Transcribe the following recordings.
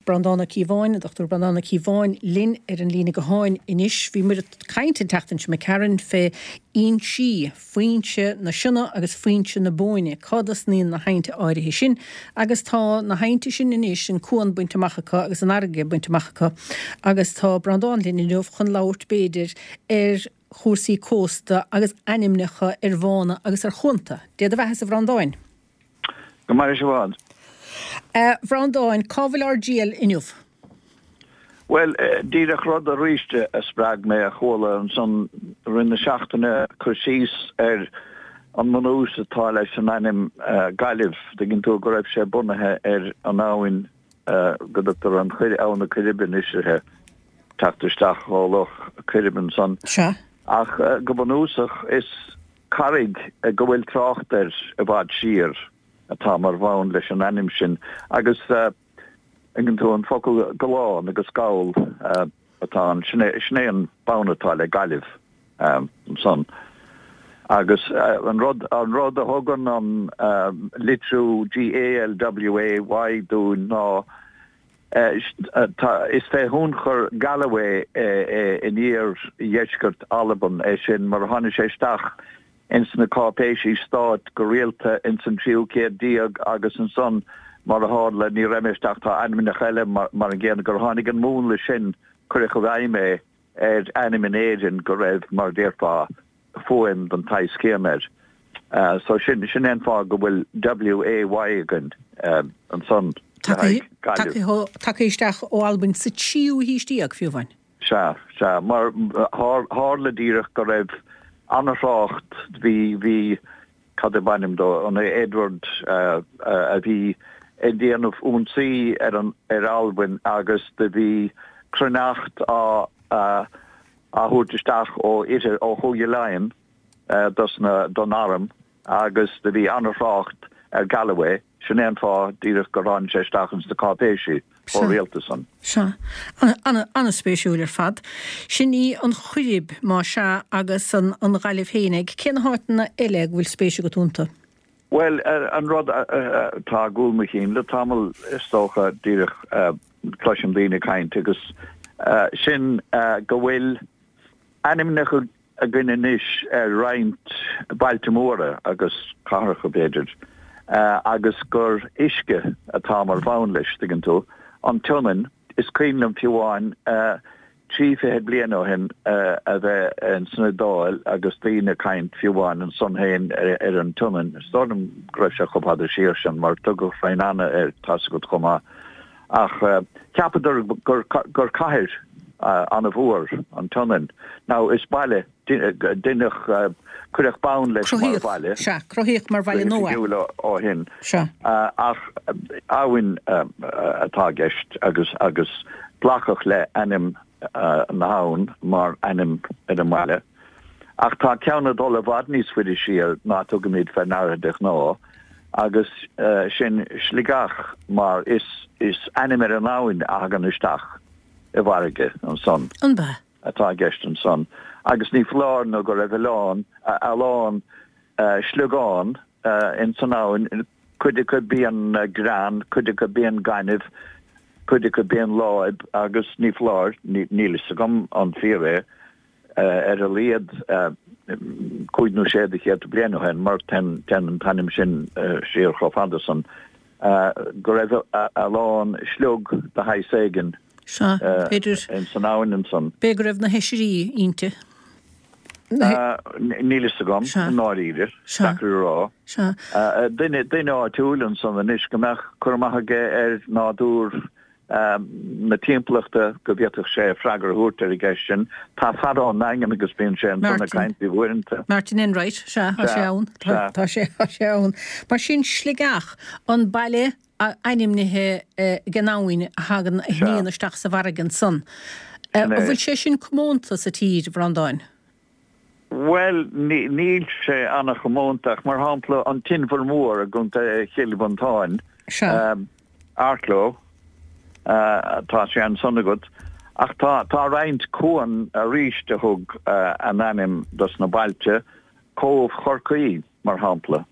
Breandán Ó Cíobháin, an Dr Breandán Ó Cíobháin linn ar an líne gutháin anois. Bhí muid ag caint an tseachtain seo imigh tharainn fé fhoinsí, foinse na Sionna agus foinse na Bóinne, cá dtosnaíonn na haibhnte áirithe sin agus tá na haibhnte sin anois, an cuan bainte amach acu agus an fharraige bainte amach acu agus tá Breandán linn inniu chun labhairt b'fhéidir ar chúrsaí cósta agus ainmneacha ar bhánna agus ar chuanta. Dé do bheathasa a Bhreandáin. Go maire sibh i bhfad. A Bhreandáin, cá bhfuil ár dtriall inniu? Bhuel, díreach rud aríst a spreag mé a chuala ansan i rith na seachtaine, cur síos ar an mbunús atá leis an ainm Gaillimh, dtuigeann tú, go raibh sé bunaithe ar an abhainn go dtugtar an Abhainn na Coiribe anois uirthi, teacht isteach ó Loch Coirib ansan. Sea. Ach go bunúsach is carraig go bhfuil trácht air i bhfad siar atá mar bhonn leis an ainm sin agus tuigeann tú an focal gallán agus gall atá ann, sin é, sin é an bonn atá le Gaillimh ansan. Agus an rud, an rud a thugann an litriú G-A-L-W-A-Y dúinn ná Is fé thionchar Galloway in iar-dheisceart Alban é sin, mar a tháinig sé isteach ins na cáipéisí stáit go rialta ins an tríú céad déag agus ansan, mar a tharla, ní raibh mé isteach, tá ainmneacha eile mar an gcéanna, gur tháinig an múnla sin, cuireadh i bhfeidhm é ar ainm in Éirinn go raibh, mar a déarfá, fuaim den tsaghas céanna air. So sin, sin é an fáth go bhfuil WAY againn ansan le haghaidh Gaillimh. Tagtha isteach ó Albain sa tríú haois déag, fiú amháin. Sea, sea. Mar tharla díreach go raibh an-thrácht, bhí, bhí, cad ab ainm dó, an é Edward a bhí ag déanamh ionsaí ar an, ar Albain agus do bhí cruithneacht á, á thabhairt isteach ó oirthear, ó Chúige Laighean dos na, don arm agus do bhí an-thrácht ar Galloway, sin é an fáth díreach gur tháinig sé isteach ins na cáipéisí chomh rialta san. Sea. An-spéisiúil ar fad. Sin í an Choirib, más ea, agus an Ghaillimh fhéinig. Cé na háiteanna eile go bhfuil spéis agat iontu? Bhuel, an rud atá i gcúl mo chinn le tamall, is dócha, díreach cloisim daoine ag caint agus sin go bhfuil ainmneacha againn anois ar roinnt bailte móra agus cathracha, b'fhéidir, agus gur uisce atá mar bhonn leis, tuigeann tú. An tSionainn, is cuimhin liom fiú amháin 30 bliain ó shin a bheith ins an Iodáil agus daoine ag caint fiú amháin ansan féin ar an tSionainn. Is dóigh liom go raibh sé chomh fada siar sin mar tugadh Ravenna air, tá's agat chomh maith. Ach cheapadar gur gur cathair an-mhór an tSionainn. Now is baile, deineadh, cuireadh bonn leis mar bhaile. Sea, cruthaíodh mar bhaile nua é. Ó shin. Sea. Ach abhainn atá i gceist agus agus glacadh le ainm na habhann mar ainm ar an mbaile. Ach tá ceann ag dul i bhfad níos faide siar ná tugaimid fé ndeara de ghnáth agus sin Sligeach mar is is ainm ar an abhainn a thagann isteach i bhfarraige ansan. An b'ea? atá i gceist ansan agus ní foláir nó go raibh a lán a lán sliogán ins an abhainn, cuid acu bíonn grean, cuid acu bíonn gaineamh, cuid acu bíonn láib agus ní foláir, níl fhios agam an fíor é, ar a laghad cúig nó sé de chéadta bliain ó shin, mar téann an t-ainm sin siar chomh fada san, go raibh a lán sliog de shaghas éigin Sea, b'fhéidir. ins an abhainn ansan. B'fhéidir go raibh na hoisrí inti. Níl fhios agam, i ndáiríre. Deacair a rá. Sea. Duine, duine áitiúil ansan anois go mbeadh cur amach aige ar nádúr na timpeallachta go bhféadfadh sé freagra a thabhairt ar an gceist sin. Tá fear ón nDaingean agus bíonn sé ansan ag caint faoi uaireanta. Martin Enright, sea, tá sé ann. Tá sé, tá sé ann. Mar sin Sligeach, an baile ainmnithe ag an abhainn a thagann, a shníonn isteach sa bhfarraige ansan. An bhfuil sé sin comónta sa tír, a Bhreandáin? Bhuel, níl sé an-chomónta ach mar shampla an tInbhear Mór i gContae Chill Mhantáin, Arklow, tá sé ansan agat. Ach tá tá roinnt cuan arís a thug a n-ainm dos na bailte, Cóbh Chorcaí mar shampla.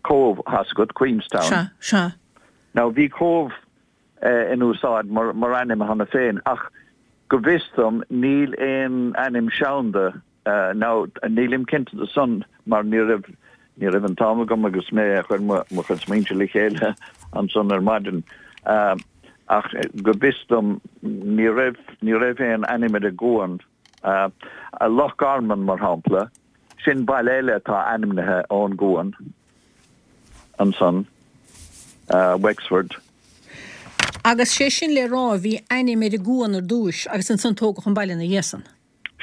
Cóbh, tá's agat, Queenstown. Sea, sea. Now bhí Cóbh in úsáid mar ainm cheana féin ach go bhfios dom níl aon ainm seanda now nílim cinnte de san mar ní raibh ní raibh an t-am agam agus mé a chur mo chuid smaointe le chéile ansan ar maidin ach go bhfios dom ní raibh ní raibh aon ainm ar an gcuan Loch Garman mar shampla sin baile eile atá ainmnithe ón gcuan. ansan, Wexford. Agus sé sin le rá, bhí ainm ar an gcuan ar dtúis agus ansan tógadh an baile ina dhiaidh san.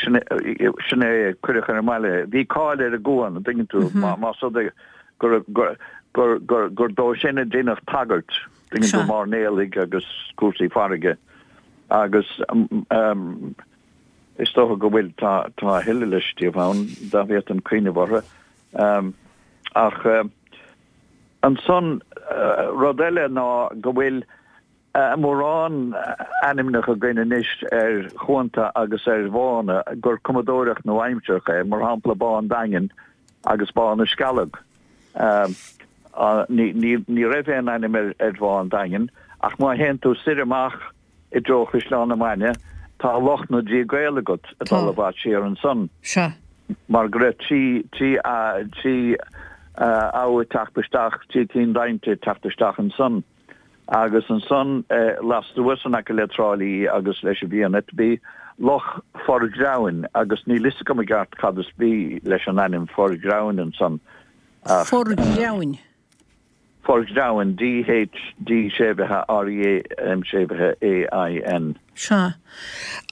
Sin é, cuireadh ar an mbaile é. Bhí cáil ar an gcuan, an dtuigeann tú, más rud é gur dó sin a deineadh tagairt, tuigeann tú, mairnéalaigh agus cúrsaí farraige agus is dócha go bhfuil, tá a thuilleadh le scríobh ann, dá bhféadfainn cuimhneamh orthu. Ach ansan, rud eile ná go bhfuil mórán ainmneacha againn anois ar chuanta agus ar bhánna gur cumadóireacht nua-aimsearach é, mar shampla Bá an Daingin agus Bá na Scealg. Ní raibh aon ainm ar Bhá an Daingin ach má théann tú soir amach i dtreo Chaisleán na Mainge, tá Loch na dTrí gCaol agat ag dul i bhfad siar ansan. Sea. Mar go raibh trí, trí, trí abha ag teacht isteach, trí cinn d'aibhnte ag teacht isteach ansan. Agus ansan lastuas in aice le Trá Lí agus leis an bhFianait bhí Loch Forghreamhain agus níl fhios agam i gceart cad is brí leis an ainm Forghreamhain ansan ach. Forghreamhain. Forghreamhain, D H D séimhithe R E A M séimhithe A I N. Sea.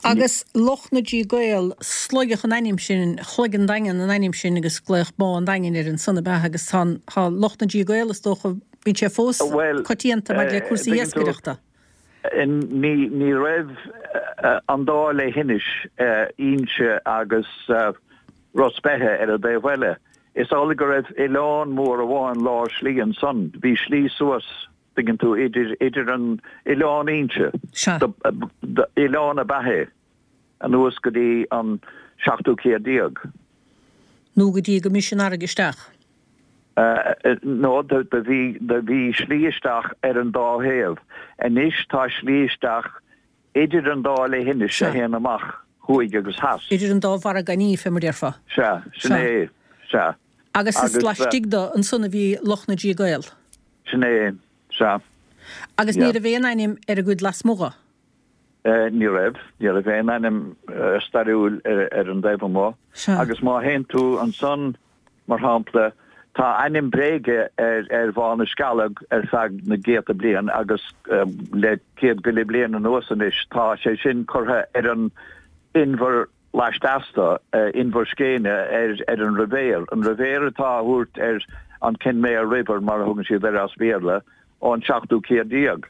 Agus Loch na dTrí gCaol, sloigeadh an ainm sin, shloig an Daingean an ainm sin agus glaodh Bá an Daingin air ansan ab ea agus tá an, tá Loch na dTrí gCaol is dócha, bíonn sé fós coitianta maidir le cúrsaí iascaireachta. Ní, ní raibh an dá leithinis, Inse agus Ros Beithe ar an dtaobh eile. Is amhlaidh go raibh oileán mór amháin lár slí ansan. Bhí slí suas, tuigeann tú, idir, idir an oileán Inse, Sea. oileán ab ea é, anuas go dtí an seachtú céad déag. Nó go dtí go mbris an fharraige isteach. Nó do bhí, do bhí slí isteach ar an dá thaobh. Anois tá slí isteach Idir an dá leithinis a théann amach thuaidh agus theas. Idir an dá mhargaidh, fé mar déarfá. Sea, sin é, sea. Agus is laistigh de ansan a bhí Loch na dTrí gCaol. Sin é, sea. Agus ní raibh aon ainm ar an gcuid lasmuigh dhe? Ní raibh, ní raibh aon ainm stairiúil ar an dtaobh amuigh. Sea. Agus má théann tú ansan Mar shampla, tá ainm bréige ar Bhá na Scealg ar feadh na gcéadta bliain agus le céad go leith bliain anuas anois tá sé sin curtha ar an inbhear laisteas de, Inbhear Scéine, ar an Rivière. An Rivière atá á thabhairt ar an Kenmare River mar a thugann siad air as Béarla ón seachtú céad déag.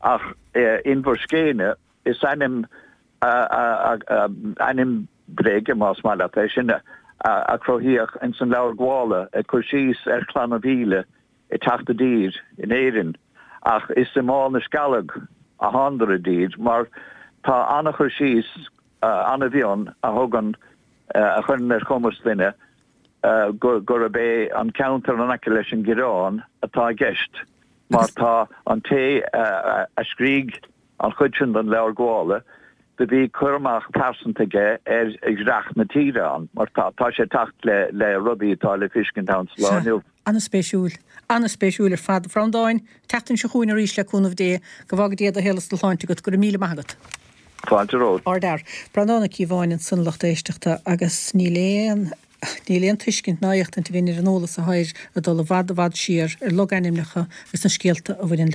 Ach Inbhear Scéine, is ainm Ainm bréige, más maith leat é sin, a cruthaíodh ins an Leabhar Gabhála ag cur síos ar Chlanna Mhíle ag teacht i dtír in Éirinn, ach is i mBá na Scealg a thánadar i dtír, mar tá an-chur síos an-mhion a thugann, a chuireann ar chumas duine gurb é an ceantar in aice leis an gCoireán atá i gceist, mar tá an té a scrígh An chuid sin den Leabhar Gabhála, do bhí cur amach pearsanta aige ar dhreach na tíre ann, mar tá sé ag teacht le le rudaí atá le feiscint ann sa lá Sea. inniu. An-spéisiúil. An-spéisiúil ar fad. A Bhreandáin, tseachtain seo chugainn arís le cúnamh Dé. Go bhfága Dia do shaol is do shláinte agat. Go raibh míle maith agat. Fáilte romhat. Ardfhear. Breandán Ó Cíobháin ansan lucht éisteachta agus níl aon níl aon tuiscint ná éachtaint againn ar an eolas atá air ag dul i bhfad i bhfad siar ar logainmneacha agus na scéalta a bhaineann leo.